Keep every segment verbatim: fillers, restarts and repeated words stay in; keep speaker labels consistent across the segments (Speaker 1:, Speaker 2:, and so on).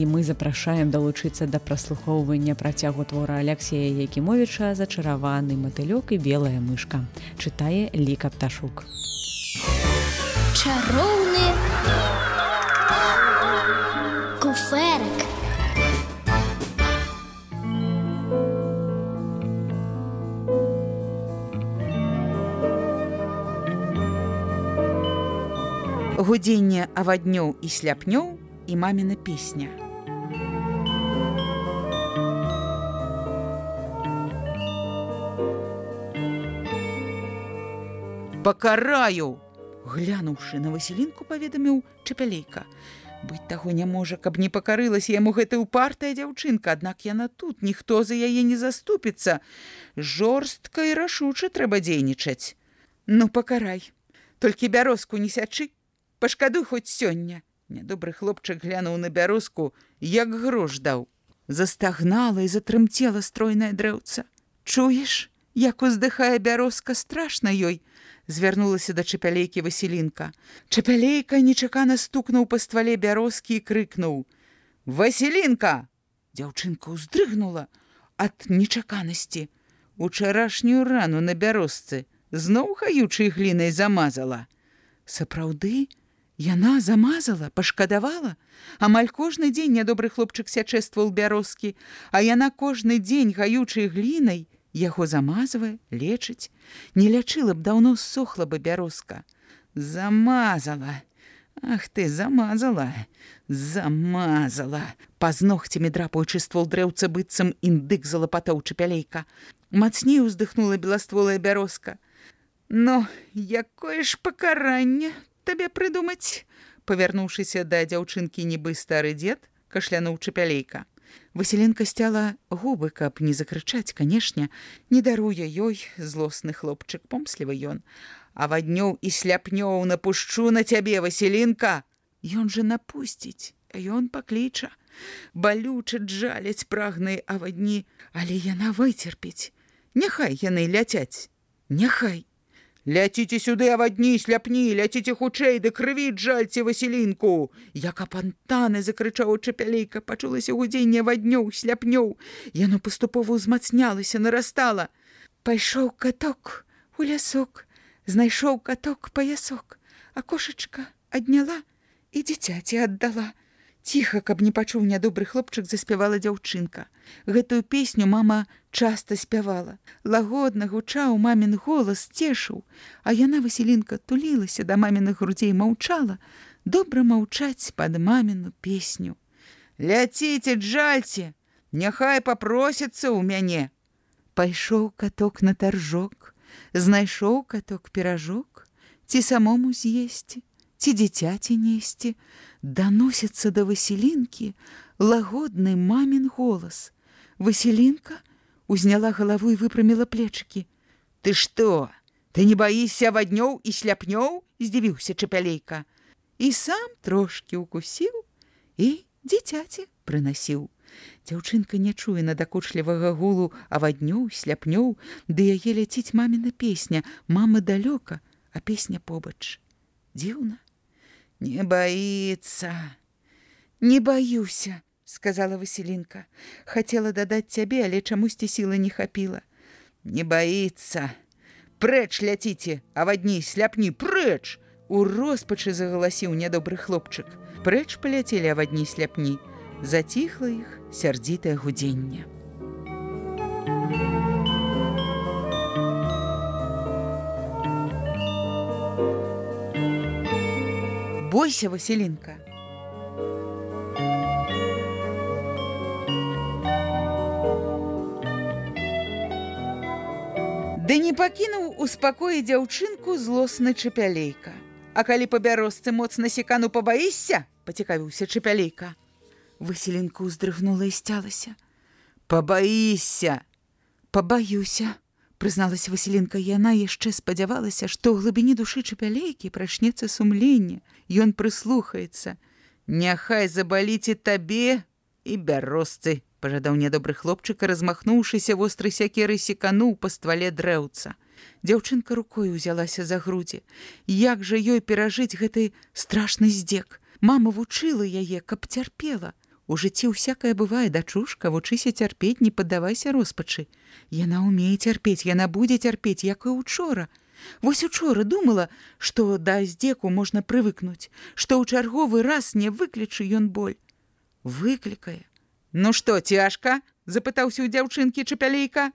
Speaker 1: І мы запрашаем далучыцца да праслухоўвання працягу твора Аляксея Якімовіча «Зачараваны матылёк і белая мышка». Чытае Ліка Пташук.
Speaker 2: Чароўны куферак.
Speaker 3: Гудзенне аваднёў і сляпнёў і маміна песня. «Пакараю!» Глянуўшы на Васілінку, паведаміў Чапялейка. Быць таго не можа, каб не пакарылася яму гэта ўпартая дзяўчынка, аднак яна тут, ніхто за яе не заступіцца. Жорстка і рашуча трэба дзейнічаць. Ну, пакарай, толькі бярозку не сячы, пашкадуй хоць сёння. Нядобры хлопчык глянуў на бярозку, як грош даў. Застагнала і затрымцела стройнае дрэўца. Чуеш, як уздыхае бярозка, страшна ёй. Звярнулася да Чапялейкі Васілінка. Чапялейка нечакана стукнуў па ствале бярозкі і крыкнуў: «Васілінка!» Дзяўчынка ўздрыгнула ад нечаканасці. Учарашнюю рану на бярозцы зноў хаючай глінай замазала. Сапраўды? Яна замазала, пашкадавала? Амаль кожны дзень нядобры хлопчык сячэ ствол бярозкі, а яна кожны дзень гаючай глінай яго замазвае, лечыць. Не лячыла б, даўно ссохла бы бярозка. Замазала. Ах ты, замазала, замазала. Пазногцямі драпаючы ствол дрэўца, быццам індык залапатаў Чапялейка. Мацней уздыхнула беластволая бярозка. «Ну, якое ж пакаранне табе прыдумаць?» Павярнуўшыся да дзяўчынкі нібы стары дзед, кашлянуў Чапялейка. Васілінка сцяла губы, каб не закрычаць, канешне, не даруе ёй злосны хлопчык, помслівы ён. «Аваднёў і сляпнёў напушчу на цябе, Васілінка!» Ён жа напусціць, а ён пакліча. Балюча джаляць прагныя авадні, але яна выцерпіць. Няхай яны ляцяць, няхай. «Ляціце сюды, авадні, сляпні, ляціце хутчэй, ды крыві джальце Васілінку!» Як апантаны закрычаў Чапялейка, пачулася гудзенне аваднёў, сляпнёў. Яно паступова ўзмацнялася, нарастала. Пайшоў каток у лясок, знайшоў каток паясок, а кошачка адняла і дзіцяці аддала. Ціха, каб не пачуў нядобры хлопчык, заспявала дзяўчынка. Гэтую песню мама часта спявала. Лагодна гучаў мамін голас, цешыў, а яна, Васілінка, тулілася да маміных грудзей, маўчала, добра маўчаць пад маміну песню. «Ляціце, джальце, няхай папросяцца ў мяне!» Пайшоў каток на таржок, знайшоў каток піражок, ці самому з'есці, ці дзіцяці несці. Даносіцца да Васілінкі лагодны мамін голас. Васілінка узняла галаву і выпраміла плечыкі. «Ты што, ты не баішся аваднёў і сляпнёў?» – здзівіўся Чапялейка. І сам трошкі укусіў і дзіцяці прынасіў. Дзяўчынка не чуе надакучлівага гулу аваднёў, сляпнёў, ды яе ляціць маміна песня. Мама далёка, а песня побач. Дзіўна. «Не боится, не баюся», — сказала Васілінка. Хацела дадаць цябе, але чамусьці сілы не хапіла. «Не боится. Прэч ляціце, авадні, сляпні, прэч!» У роспачы загаласіў нядобры хлопчык. Прэч паляцелі авадні, сляпні. Заціхла іх сярдзітае гудзенне. «Бойся, Васілінка!» Ды не пакінуў у спакоі дзяўчынку злосны Чапялейка. «А калі па бярозцы моцна секану, пабаішся?» – пацікавіўся Чапялейка. Васілінка ўздрыгнула і сцялася. «Пабаішся!» «Пабаюся!» – прызналася Васілінка. Яна яшчэ спадзявалася, што ў глыбіні душы Чапялейкі прачнецца сумленне. Ён прыслухаецца. «Няхай забаліце табе і бярозцы!» – пажадаў нядобры хлопчык, размахнуўшыся вострай сякерай секануў па ствале дрэўца. Дзяўчынка рукой узялася за грудзі. Як жа ёй перажыць гэты страшны здзек? Мама вучыла яе, каб цярпела. У жыцці ўсякае бывае, дачушка, вучыся цярпець, не паддавайся роспачы. Яна ўмее цярпець, яна будзе цярпець, як і учора. Вось учора думала, што да здзеку можна прывыкнуць, што ў чарговы раз не выклічы ён боль. Выклікае. Ну што, цяжка? Запытаўся ў дзяўчынкі Чапялейка.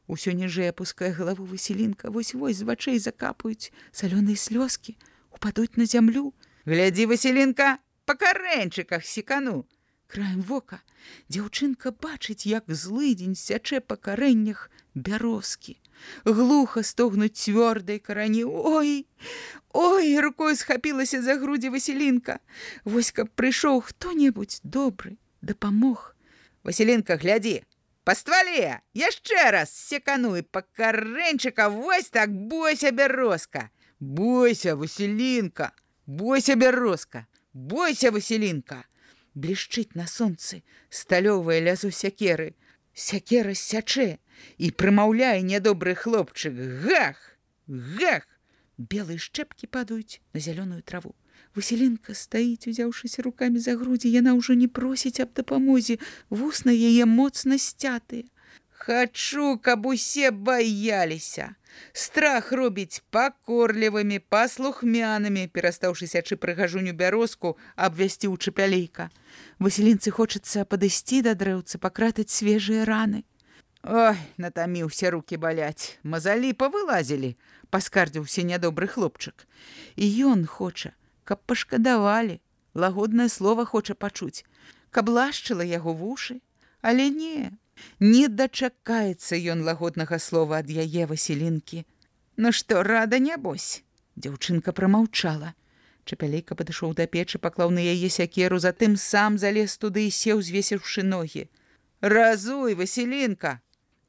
Speaker 3: Усё ніжэй апускае галаву Васілінка, вось-вось з вачэй закапаюць салёныя слёзкі, упадуць на зямлю. Глядзі, Васілінка, па карэньчыках секану. Краем вока дзяўчынка бачыць, як злыдзень сячэ па карэннях бярозкі. Глуха стогнуць цвёрдай карані. Ой, ой, рукой схапілася за грудзі Васілінка. Вось каб прыйшоў хто-небудзь добры, дапамог. Васілінка, глядзі, па ствале, яшчэ раз секану і па карэньчыка, вось так, бойся, бярозка. Бойся, Васілінка, бойся, бярозка, бойся, Васілінка. Блішчыць на сонцы сталёвае лязо сякеры. Сякера сячэ і прымаўляе нядобры хлопчык. Гах! Гах! Белыя шчэпкі падаюць на зялёную траву. Васілінка стаіць, узяўшыся рукамі за грудзі. Яна ўжо не просіць аб дапамозе. Вусны яе моцна сцятыя. Хачу, каб усе баяліся. Страх робіць пакорлівымі, паслухмянымі, перастаўшы сячы прыгажуню бярозку, абвясціў Чапялейка. Васілінцы хочацца падысці да дрэўца, пакратаць свежыя раны. Ой, натаміўся, рукі баляць. Мазалі павылазілі, паскардзіўся нядобры хлопчык. І ён хоча, каб пашкадавалі, лагоднае слова хоча пачуць, каб лашчыла яго вушы, але не. Не дачакаецца ён лагоднага слова ад яе Васілінкі. Ну што, рада, нябось? Дзяўчынка прамаўчала. Чапялейка падышоў да печы, паклаў на яе сякеру, затым сам залез туды і сеў, звесіўшы ногі. Разуй, Васілінка!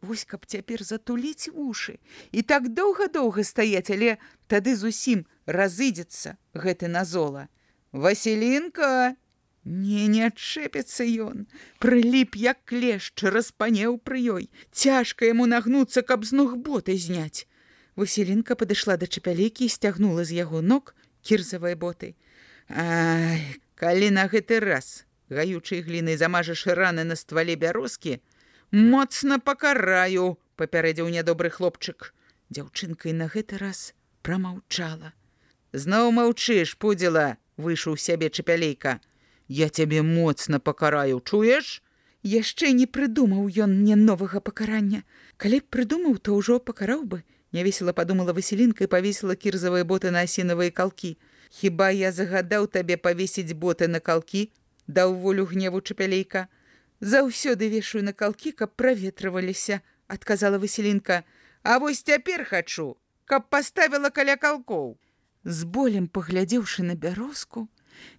Speaker 3: Вось каб цяпер затуліць вушы і так доўга-доўга стаяць, але тады зусім разыдзецца гэты назола. Васілінка! Не, не адчэпіцца ён. Прыліп, як клешч, распанеў пры ёй. Цяжка яму нагнуцца, каб з ног боты зняць. Васілінка падышла да Чапялейкі і сцягнула з яго ног кірзавыя боты. Ай, калі на гэты раз гаючай глінай замажаш раны на ствале бярозкі, моцна пакараю, папярэдзіў нядобры хлопчык. Дзяўчынка і на гэты раз прамаўчала. Зноў маўчыш, пудзіла, выйшаў сябе Чапялейка. Я цябе моцна пакараю, чуеш? Яшчэ не прыдумаў ён мне новага пакарання. Калі б прыдумаў, то ўжо пакараў бы. Нявесела падумала Васілінка і павесіла кірзавыя боты на асінавыя калкі. Хіба я загадаў табе павесіць боты на калкі? Даў волю гневу Чапялейка. Заўсёды вешаю на калкі, каб праветрываліся, адказала Васілінка. А вось цяпер хачу, каб паставіла каля калкоў. З болем паглядзеўшы на бярозку,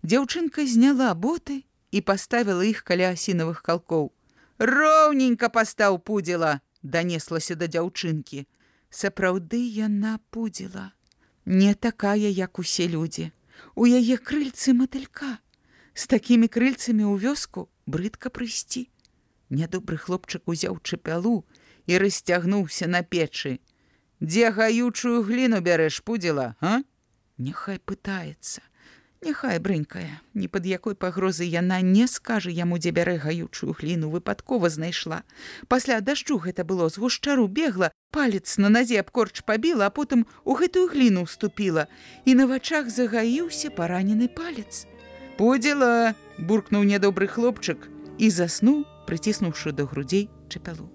Speaker 3: дзяўчынка зняла боты і паставіла іх каля асінавых калкоў. Роўненька пастаў, пудзіла, данеслася да дзяўчынкі. Сапраўды яна пудзіла. Не такая, як усе людзі. У яе крыльцы матылька. З такімі крыльцамі ў вёску брыдка прыйсці. Нядобры хлопчык узяў чапялу і расцягнуўся на печы. Дзе гаючую гліну бярэш, пудзіла, а? Няхай пытаецца. Няхай брынькая, ні пад якой пагрозай яна не скажа яму, дзе бярэ гаючую гліну, выпадкова знайшла. Пасля дажджу гэта было, з гушчару бегла, палец на назе аб корч пабіла, а потым у гэтую гліну ўступіла, і на вачах загаіўся паранены палец. Пудзіла, буркнуў нядобры хлопчык і заснуў, прыціснуўшы да грудзей чапялу.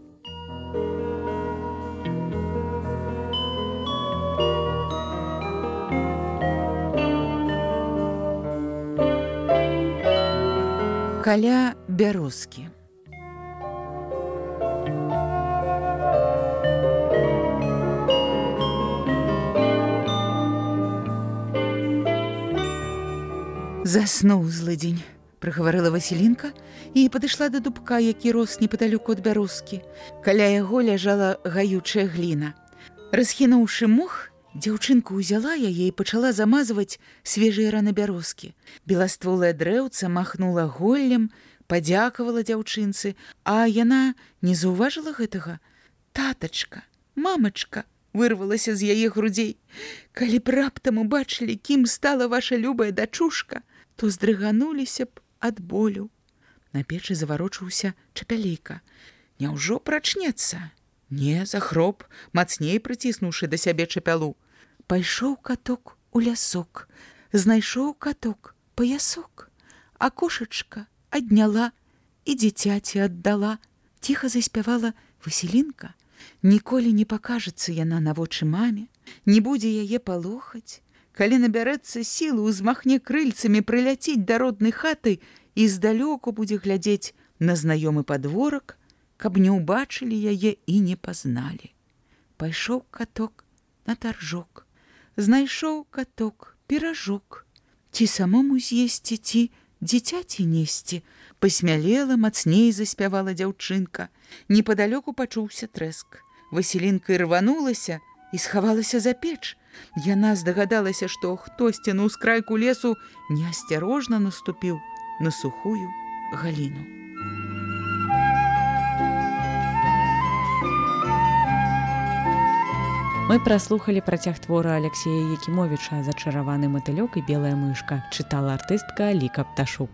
Speaker 3: Каля бярозкі. Заснуў злыдзень, прыгаварыла Васілінка і падышла да дубка, які рос непадалёку ад бярозкі. Каля яго ляжала гаючая гліна. Расхінуўшы мох, дзяўчынка ўзяла яе і пачала замазваць свежыя раны бярозкі. Беластволае дрэўца махнула голлем, падзякавала дзяўчынцы, а яна не заўважыла гэтага. Татачка, мамачка, вырвалася з яе грудзей. Калі б раптам убачылі, кім стала ваша любая дачушка, то здрыгануліся б ад болю. На печы заварочыўся чапялейка. Няўжо прачнецца? Не, захроп, мацней прыціснуўшы да сябе чапялу. Пайшоў каток у лясок, знайшоў каток паясок, а кошачка адняла і дзіцяці аддала. Ціха заспявала Васілінка. Ніколі не пакажацца яна на вочы маме, не будзе яе палохаць. Калі набярэцца сілы, узмахне крыльцамі, прыляціць да роднай хаты і здалёку будзе глядзець на знаёмы падворак, каб не ўбачылі яе і не пазналі. Пайшоў каток на таржок, знайшоў каток піражок. Ці самому з'есці, ці дзіцяці несці? Пасмялела, мацней заспявала дзяўчынка. Непадалёку пачуўся трэск. Васілінка ірванулася і схавалася за печ. Яна здагадалася, што хтосьці на ўскрайку лесу неасцярожна наступіў на сухую галіну.
Speaker 1: Мы праслухалі працяг твора Аляксея Якімовіча «Зачараваны матылёк і белая мышка», чытала артыстка Ліка Пташук.